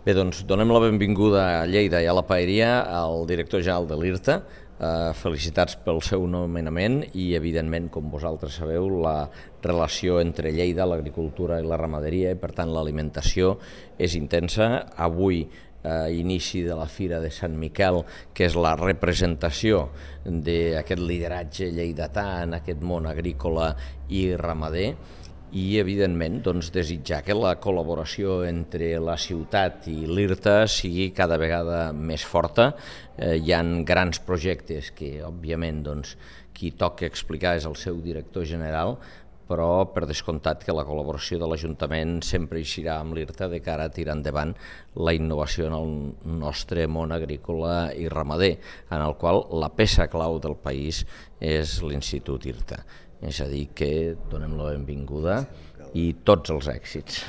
Bé, doncs donem la benvinguda a Lleida i a la Paeria al director general de l'IRTA. Felicitats pel seu nomenament i, evidentment, com vosaltres sabeu, la relació entre Lleida, l'agricultura i la ramaderia, i per tant l'alimentació, és intensa. Avui, inici de la Fira de Sant Miquel, que és la representació d'aquest lideratge lleidatà en aquest món agrícola i ramader, i evidentment desitjar que la col·laboració entre la ciutat i l'IRTA sigui cada vegada més forta. Hi ha grans projectes que òbviament qui toca explicar és el seu director general, però per descomptat que la col·laboració de l'Ajuntament sempre eixirà amb l'IRTA de cara a tirar endavant la innovació en el nostre món agrícola i ramader, en el qual la peça clau del país és l'Institut IRTA. És a dir, que donem la benvinguda i tots els èxits.